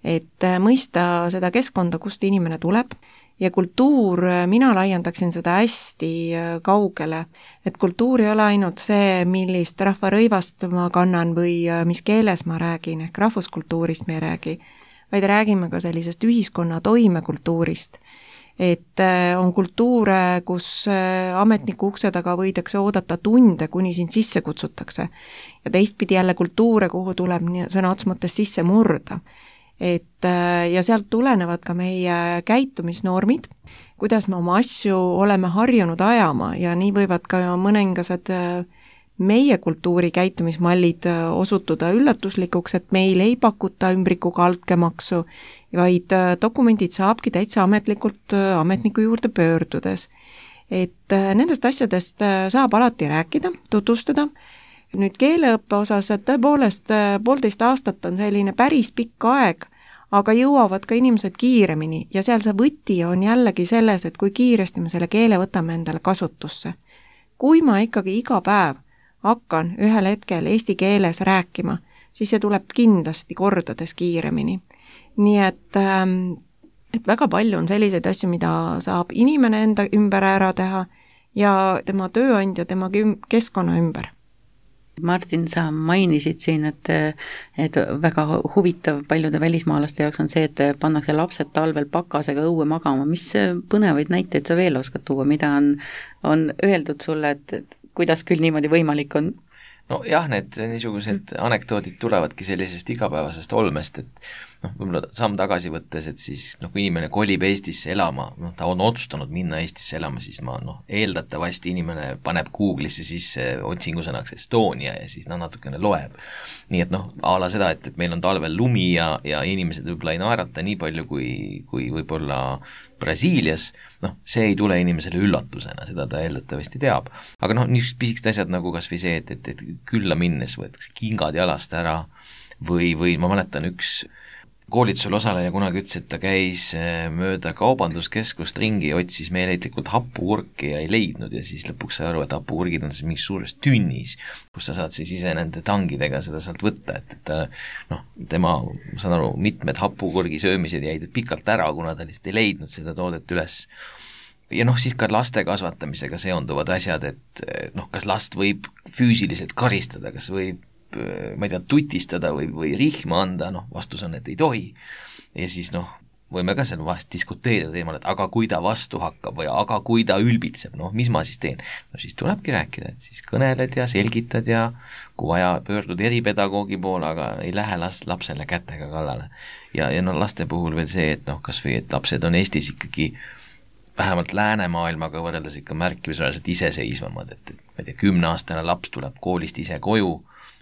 et mõista seda keskkonda, kust inimene tuleb ja kultuur, mina laiendaksin seda hästi kaugele, et kultuur ei ole ainult see, millist rahvarõivast ma kannan või mis keeles ma räägin, ehk rahvuskultuurist me ei räägi, vaid räägime ka sellisest ühiskonna toimekultuurist. Et on kultuure, kus ametniku ukse taga võidakse oodata tunde, kuni sind sisse kutsutakse. Ja teistpidi jälle kultuure, kuhu tuleb sõna otseses mõttes sisse murda. Ja sealt tulenevad ka meie käitumisnormid, kuidas me oma asju oleme harjunud ajama ja nii võivad ka mõningased meie kultuuri käitumismallid osutuda üllatuslikuks, et meil ei pakuta ümbrikuga altkäemaksu, vaid dokumendid saabki täitsa ametlikult ametniku juurde pöördudes. Et nendest asjadest saab alati rääkida, tutvustada. Nüüd keeleõppe osas, et tõepoolest 1,5 aastat on selline päris pikk aeg, aga jõuavad ka inimesed kiiremini ja seal see võti on jällegi selles, et kui kiiresti me selle keele võtame endale kasutusse. Kui ma ikkagi iga päev hakkan ühel hetkel eesti keeles rääkima, siis see tuleb kindlasti kordades kiiremini. Nii et väga palju on selliseid asju, mida saab inimene enda ümber ära teha ja tema tööandja, tema keskkonna ümber. Martin, sa mainisid siin, et väga huvitav paljude välismaalaste jaoks on see, et pannakse lapsed talvel pakasega õue magama. Mis põnevaid näiteid sa veel oskad tuua, mida on öeldud sulle, et kuidas küll niimoodi võimalik on? No jah, need niisugused anekdoodid tulevadki sellisest igapäevasest olmest, võib-olla samm tagasi võttes, et siis kui inimene kolib Eestisse elama, ta on otsustanud minna Eestisse elama, siis eeldatavasti inimene paneb Google'isse sisse otsingusõnaks Estonia ja siis natukene loeb. Nii et a la seda, et meil on talvel lumi ja inimesed võib-olla ei naerata nii palju kui võib-olla Brasiilias, see ei tule inimesele üllatusena, seda ta eeldatavasti teab. Aga niisugused pisikesed asjad nagu kas või see, et külla minnes võetakse kingad jalast ära või ma mäletan üks koolitusel osaleja kunagi ütles, et ta käis mööda kaubanduskeskust ringi, otsis meeleitlikult happukurki ja ei leidnud ja siis lõpuks sai aru, et happukurgid on siis mingis suures tünnis, kus sa saad siis ise nende tangidega seda sealt võtta, et tema, ma saan aru, mitmed happukurgi söömised jäid pikalt ära, kuna ta lihtsalt ei leidnud seda toodet üles. Ja siis ka laste kasvatamisega seonduvad asjad, et kas last võib füüsiliselt karistada, kas võib ma ei tea, tutistada või rihma anda, vastus on, et ei tohi. Ja siis võime ka seal vahest diskuteerida teemal, et aga kui ta vastu hakkab või aga kui ta ülbitseb, mis ma siis teen? Siis tulebki rääkida, et siis kõneled ja selgitad ja kui vaja, pöördud eripedagoogi poole, aga ei lähe lapsele kätega kallale. Ja laste puhul veel see, et kas või, et lapsed on Eestis ikkagi vähemalt läänemaailmaga võrreldes ikka märkimisväärselt iseseisvamad, et ma ei tea, 10-aastane laps tuleb koolist ise koju,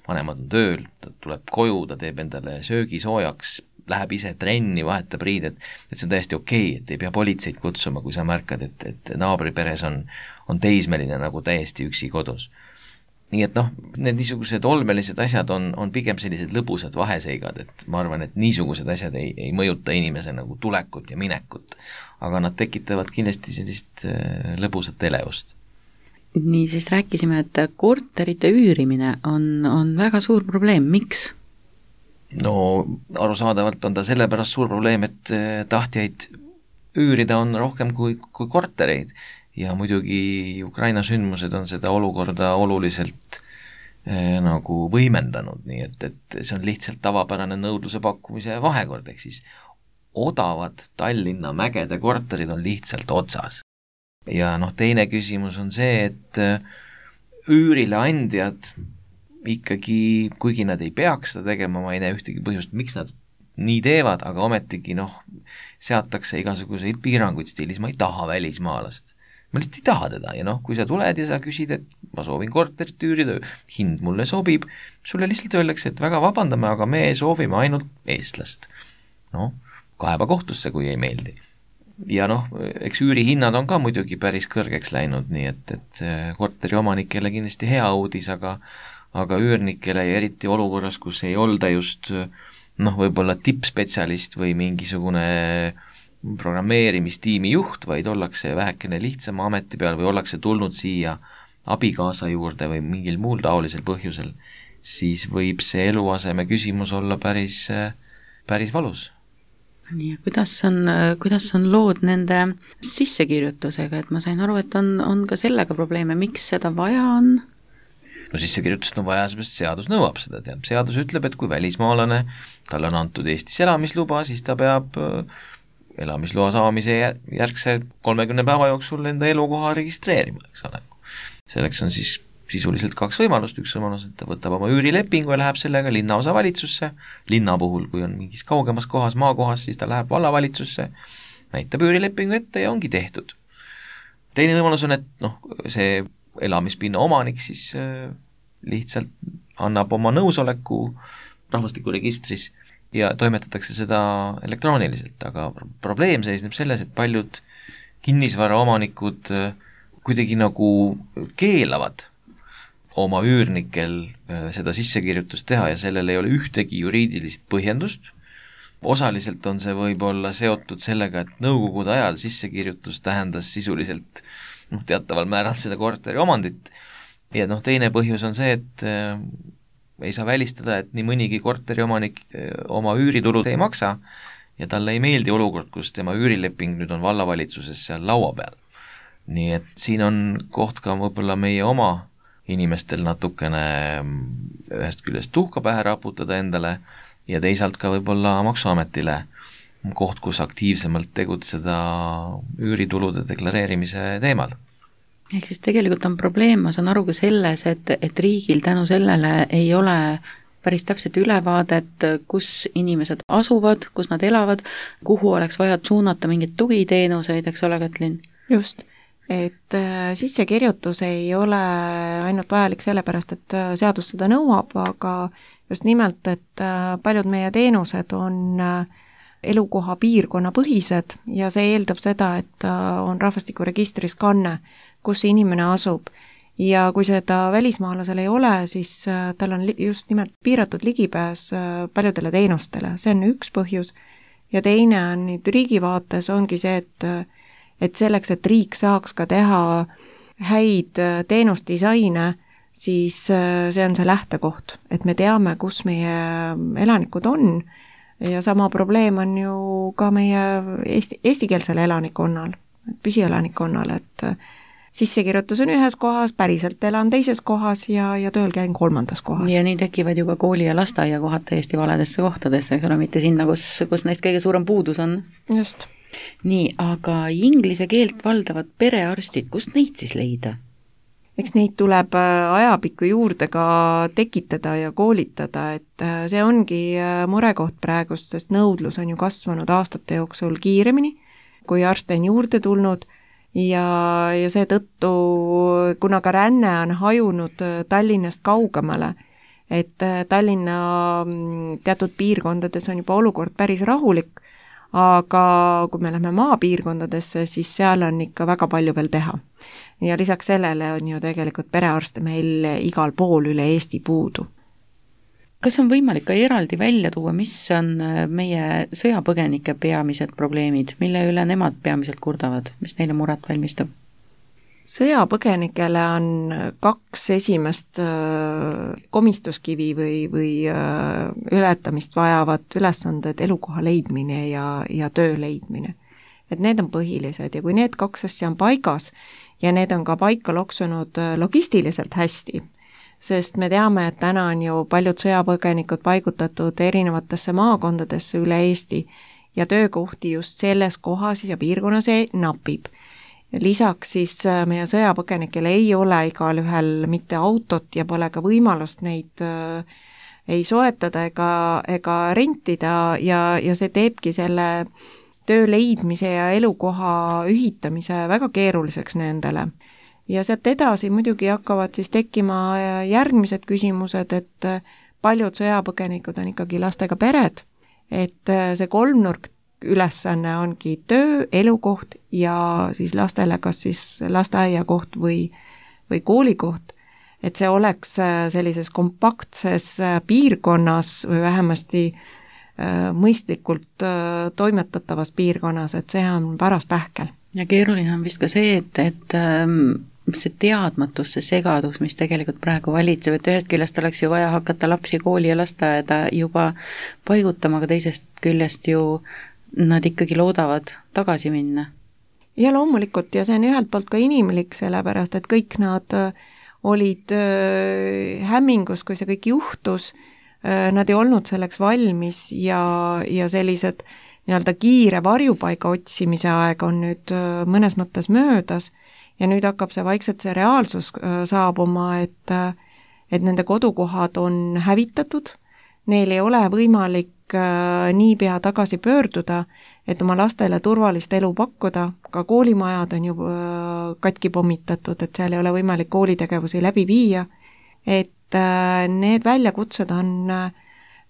vanemad on tööl, ta tuleb koju, ta teeb endale söögi soojaks, läheb ise trenni, vahetab riided, et see on täiesti okei, et ei pea politseid kutsuma, kui sa märkad, et naabriperes on teismeline nagu täiesti üksi kodus. Nii et need niisugused olmelised asjad on pigem sellised lõbusad vaheseigad, et ma arvan, et niisugused asjad ei mõjuta inimese nagu tulekut ja minekut, aga nad tekitavad kindlasti sellist lõbusat elevust. Nii, siis rääkisime, et korterite üürimine on väga suur probleem. Miks? Arusaadavalt on ta sellepärast suur probleem, et tahtjaid üürida on rohkem kui kortereid ja muidugi Ukraina sündmused on seda olukorda oluliselt nagu võimendanud, nii et see on lihtsalt tavapärane nõudluse pakkumise vahekord, ehk siis odavad Tallinna mägede korterid on lihtsalt otsas. Ja teine küsimus on see, et üürile andjad ikkagi, kuigi nad ei peaks seda tegema, ma ei näe ühtegi põhjust, miks nad nii teevad, aga ometigi seatakse igasuguseid piiranguid stiilis, ma ei taha välismaalast. Ma lihtsalt ei taha teda ja kui sa tuled ja sa küsid, et ma soovin korterit üürida, hind mulle sobib, sulle lihtsalt öeldakse, et väga vabandame, aga me soovime ainult eestlast. Kaeba kohtusse, kui ei meeldi. Ja eks üürihinnad on ka muidugi päris kõrgeks läinud, nii et korteri omanikele kindlasti hea uudis, aga üürnikele ja eriti olukorras, kus ei olda just võib-olla tippspetsialist või mingisugune programmeerimistiimi juht, vaid ollakse vähekene lihtsama ameti peal või ollakse tulnud siia abikaasa juurde või mingil muul taolisel põhjusel, siis võib see eluaseme küsimus olla päris valus. Nii, kuidas on lood nende sissekirjutusega, et ma sain aru, et on ka sellega probleeme, miks seda vaja on? Sissekirjutust on vaja, sest seadus nõuab seda, seadus ütleb, et kui välismaalane, talle on antud Eestis elamisluba, siis ta peab elamisloa saamise järgse 30 päeva jooksul enda elukoha registreerima, eks ole. Selleks on siis sisuliselt 2 võimalust, üks võimalus, et ta võtab oma üürilepingu ja läheb sellega linnaosa valitsusse, linna puhul, kui on mingis kaugemas kohas, maakohas, siis ta läheb vallavalitsusse, näitab üürilepingu ette ja ongi tehtud. Teine võimalus on, et see elamispinna omanik siis lihtsalt annab oma nõusoleku rahvastikuregistris ja toimetatakse seda elektrooniliselt, aga probleem seisneb selles, et paljud kinnisvara omanikud kuidagi nagu keelavad oma üürnikel seda sissekirjutust teha ja sellel ei ole ühtegi juriidilist põhjendust. Osaliselt on see võib-olla seotud sellega, et nõukogude ajal sissekirjutus tähendas sisuliselt teataval määral seda korteri omandit ja teine põhjus on see, et ei saa välistada, et nii mõnigi korteri omanik oma üüritulud ei maksa ja talle ei meeldi olukord, kus tema üürileping nüüd on vallavalitsuses seal laua peal. Nii et siin on koht ka võib-olla meie oma inimestel natukene ühest küljest tuhka pähe raputada endale ja teisalt ka võib-olla Maksuametile koht, kus aktiivsemalt tegutseda üüritulude deklareerimise teemal. Ehk siis tegelikult on probleem, ma saan aru ka selles, et riigil tänu sellele ei ole päris täpset ülevaadet, kus inimesed asuvad, kus nad elavad, kuhu oleks vaja suunata mingeid tugiteenuseid, eks ole, Kätlin? Just, et sissekirjutus ei ole ainult vajalik sellepärast, et seadus seda nõuab, aga just nimelt, et paljud meie teenused on elukoha piirkonna põhised ja see eeldab seda, et on rahvastikuregistris kanne, kus see inimene asub. Ja kui seda välismaalasel ei ole, siis tal on just nimelt piiratud ligipääs paljudele teenustele. See on üks põhjus. Ja teine on nüüd riigi vaates ongi see, et selleks, et riik saaks ka teha häid teenusdisaine, siis see on see lähtekoht, et me teame, kus meie elanikud on ja sama probleem on ju ka meie eestikeelsel elanikkonnal, püsielanikkonnal, et sissekirjutus on ühes kohas, päriselt elan teises kohas ja tööl käin kolmandas kohas. Ja nii tekivad ju ka kooli- ja lasteaiakohad täiesti valedesse kohtadesse, eks ole, mitte sinna, kus neist kõige suurem puudus on. Just. Nii, aga inglise keelt valdavad perearstid, kust neid siis leida? Eks neid tuleb ajapikku juurde ka tekitada ja koolitada, et see ongi murekoht praegust, sest nõudlus on ju kasvanud aastate jooksul kiiremini, kui arste on juurde tulnud ja seetõttu, kuna ka ränne on hajunud Tallinnast kaugemale, et Tallinna teatud piirkondades on juba olukord päris rahulik, aga kui me lähme maapiirkondadesse, siis seal on ikka väga palju veel teha. Ja lisaks sellele on ju tegelikult perearste meil igal pool üle Eesti puudu. Kas on võimalik ka eraldi välja tuua, mis on meie sõjapõgenike peamised probleemid, mille üle nemad peamiselt kurdavad, mis neile muret valmistab? Sõjapõgenikele on 2 esimest komistuskivi või ületamist vajavat ülesanded elukoha leidmine ja töö leidmine. Et need on põhilised ja kui need 2 asja on paigas ja need on ka paika loksunud logistiliselt hästi, sest me teame, et täna on ju paljud sõjapõgenikud paigutatud erinevatesse maakondadesse üle Eesti ja töökohti just selles kohas ja piirkonnas napib. Lisaks siis meie sõjapõgenikele ei ole igal ühel mitte autot ja pole ka võimalust neid ei soetada ega rentida ja see teebki selle töö leidmise ja elukoha ühitamise väga keeruliseks nendele. Ja sealt edasi muidugi hakkavad siis tekkima järgmised küsimused, et paljud sõjapõgenikud on ikkagi lastega pered, et see kolmnurk ülesanne ongi töö, elukoht ja siis lastele kas siis lasteaiakoht või koolikoht, et see oleks sellises kompaktses piirkonnas või vähemasti mõistlikult toimetatavas piirkonnas, et see on paras pähkel. Ja keeruline on vist ka see, et see teadmatus, see segadus, mis tegelikult praegu valitseb, et ühest küljest oleks ju vaja hakata lapsi kooli ja lasteaeda juba paigutama, aga teisest küljest ju nad ikkagi loodavad tagasi minna. Ja loomulikult, ja see on ühelt poolt ka inimlik, sellepärast, et kõik nad olid hämmingus, kui see kõik juhtus, nad ei olnud selleks valmis ja sellised nii-öelda kiire varjupaiga otsimise aeg on nüüd mõnes mõttes möödas ja nüüd hakkab see vaikselt see reaalsus saabuma, et nende kodukohad on hävitatud, neil ei ole võimalik niipea tagasi pöörduda, et oma lastele turvalist elu pakkuda, ka koolimajad on ju katki pommitatud, et seal ei ole võimalik koolitegevusi läbi viia, et need väljakutsed on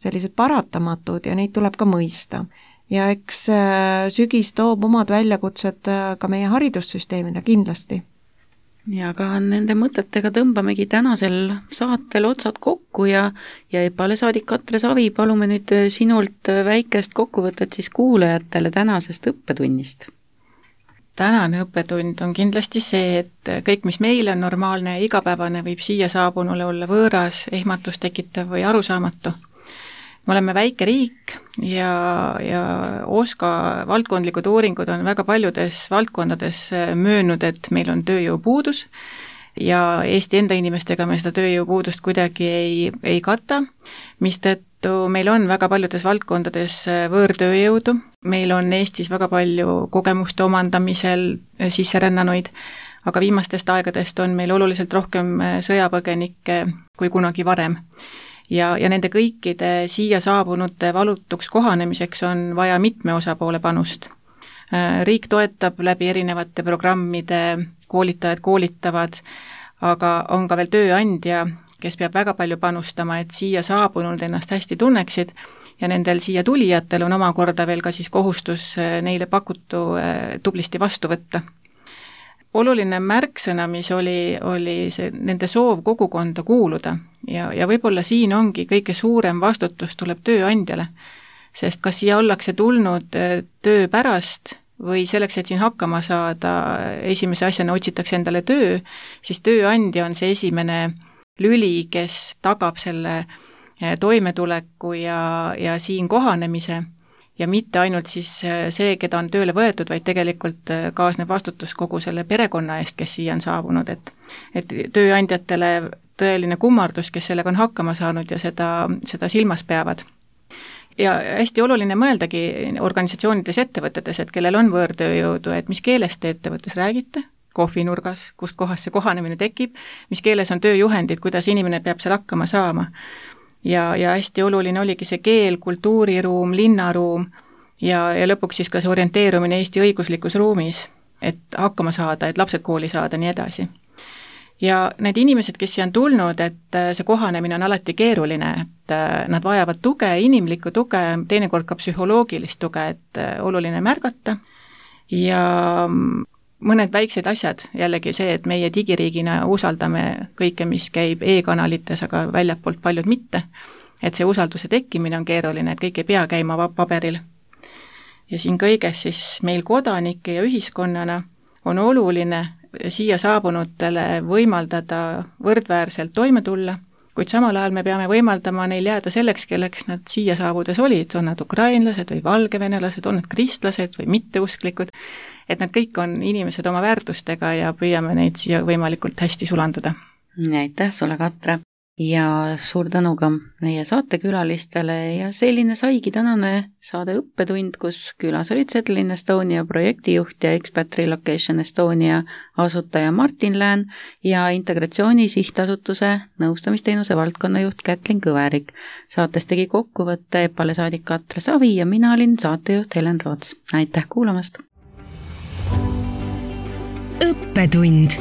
sellised paratamatud ja neid tuleb ka mõista. Ja eks sügis toob omad väljakutsed ka meie haridussüsteemile kindlasti. Ja ka nende mõtetega tõmbamegi tänasel saatel otsad kokku ja EPA-le saadik Katre Savi, palume nüüd sinult väikest kokkuvõtet siis kuulajatele tänasest õppetunnist. Tänane õppetund on kindlasti see, et kõik, mis meile on normaalne ja igapäevane, võib siia saabunule olla võõras, ehmatust tekitav või arusaamatu. Me oleme väike riik ja OSKA valdkondlikud uuringud on väga paljudes valdkondades möönnud, et meil on tööjõupuudus ja Eesti enda inimestega me seda tööjõupuudust kuidagi ei kata, mistõttu meil on väga paljudes valdkondades võõrtööjõudu, meil on Eestis väga palju kogemuste omandamisel sisserännanuid, aga viimastest aegadest on meil oluliselt rohkem sõjapõgenikke kui kunagi varem. ja nende kõikide siia saabunute valutuks kohanemiseks on vaja mitme osapoole panust. Riik toetab läbi erinevate programmide, koolitajad koolitavad, aga on ka veel tööandja, kes peab väga palju panustama, et siia saabunud ennast hästi tunneksid ja nendel siia tulijatel on omakorda veel ka siis kohustus neile pakutu tublisti vastu võtta. Oluline märksõna, mis oli see nende soov kogukonda kuuluda ja võib-olla siin ongi kõige suurem vastutus tuleb tööandjale, sest kas siia ollakse tulnud töö pärast või selleks, et siin hakkama saada, esimese asjana otsitakse endale töö, siis tööandja on see esimene lüli, kes tagab selle toimetuleku ja siin kohanemise ja mitte ainult siis see, keda on tööle võetud, vaid tegelikult kaasneb vastutus kogu selle perekonna eest, kes siia on saabunud, et tööandjatele tõeline kummardus, kes sellega on hakkama saanud ja seda silmas peavad. Ja hästi oluline mõeldagi organisatsioonides, ettevõtetes, et kellel on võõrtööjõudu, et mis keeles te ettevõttes räägite, kohvinurgas, kust kohas see kohanemine tekib, mis keeles on tööjuhendid, kuidas inimene peab seal hakkama saama. Ja hästi oluline oligi see keel, kultuuriruum, linnaruum ja lõpuks siis ka see orienteerumine Eesti õiguslikus ruumis, et hakkama saada, et lapsed kooli saada, nii edasi. Ja need inimesed, kes siia on tulnud, et see kohanemine on alati keeruline, et nad vajavad tuge, inimlikku tuge, teinekord ka psühholoogilist tuge, et oluline märgata ja mõned väiksed asjad, jällegi see, et meie digiriigina usaldame kõike, mis käib e-kanalites, aga väljapoolt paljud mitte, et see usalduse tekkimine on keeruline, et kõik ei pea käima paberil. Ja siin kõiges siis meil kodanike ja ühiskonnana on oluline siia saabunutele võimaldada võrdväärselt toime tulla, kuid samal ajal me peame võimaldama neil jääda selleks, kelleks nad siia saabudes olid, on nad ukrainlased või valgevenelased, on nad kristlased või mitteusklikud, et nad kõik on inimesed oma väärtustega ja püüame neid siia võimalikult hästi sulandada. Aitäh sulle, Katre! Ja suur tänu ka meie saatekülalistele ja selline saigi tänane saade Õppetund, kus külas olid Settle in Estonia projektijuht ja Expat Relocation Estonia asutaja Martin Lään ja Integratsiooni Sihtasutuse nõustamisteenuse valdkonnajuht Kätlin Kõverik. Saates tegi kokkuvõtte EPALE saadik Katre Savi ja mina olin saatejuht Helen Roots. Aitäh kuulamast! Õppetund.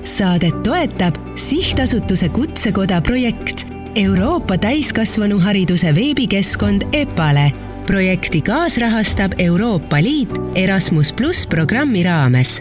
Saadet toetab Sihtasutuse Kutsekoda projekt Euroopa täiskasvanuhariduse veebikeskkond EPALE. Projekti kaasrahastab Euroopa Liit Erasmus+ programmi raames.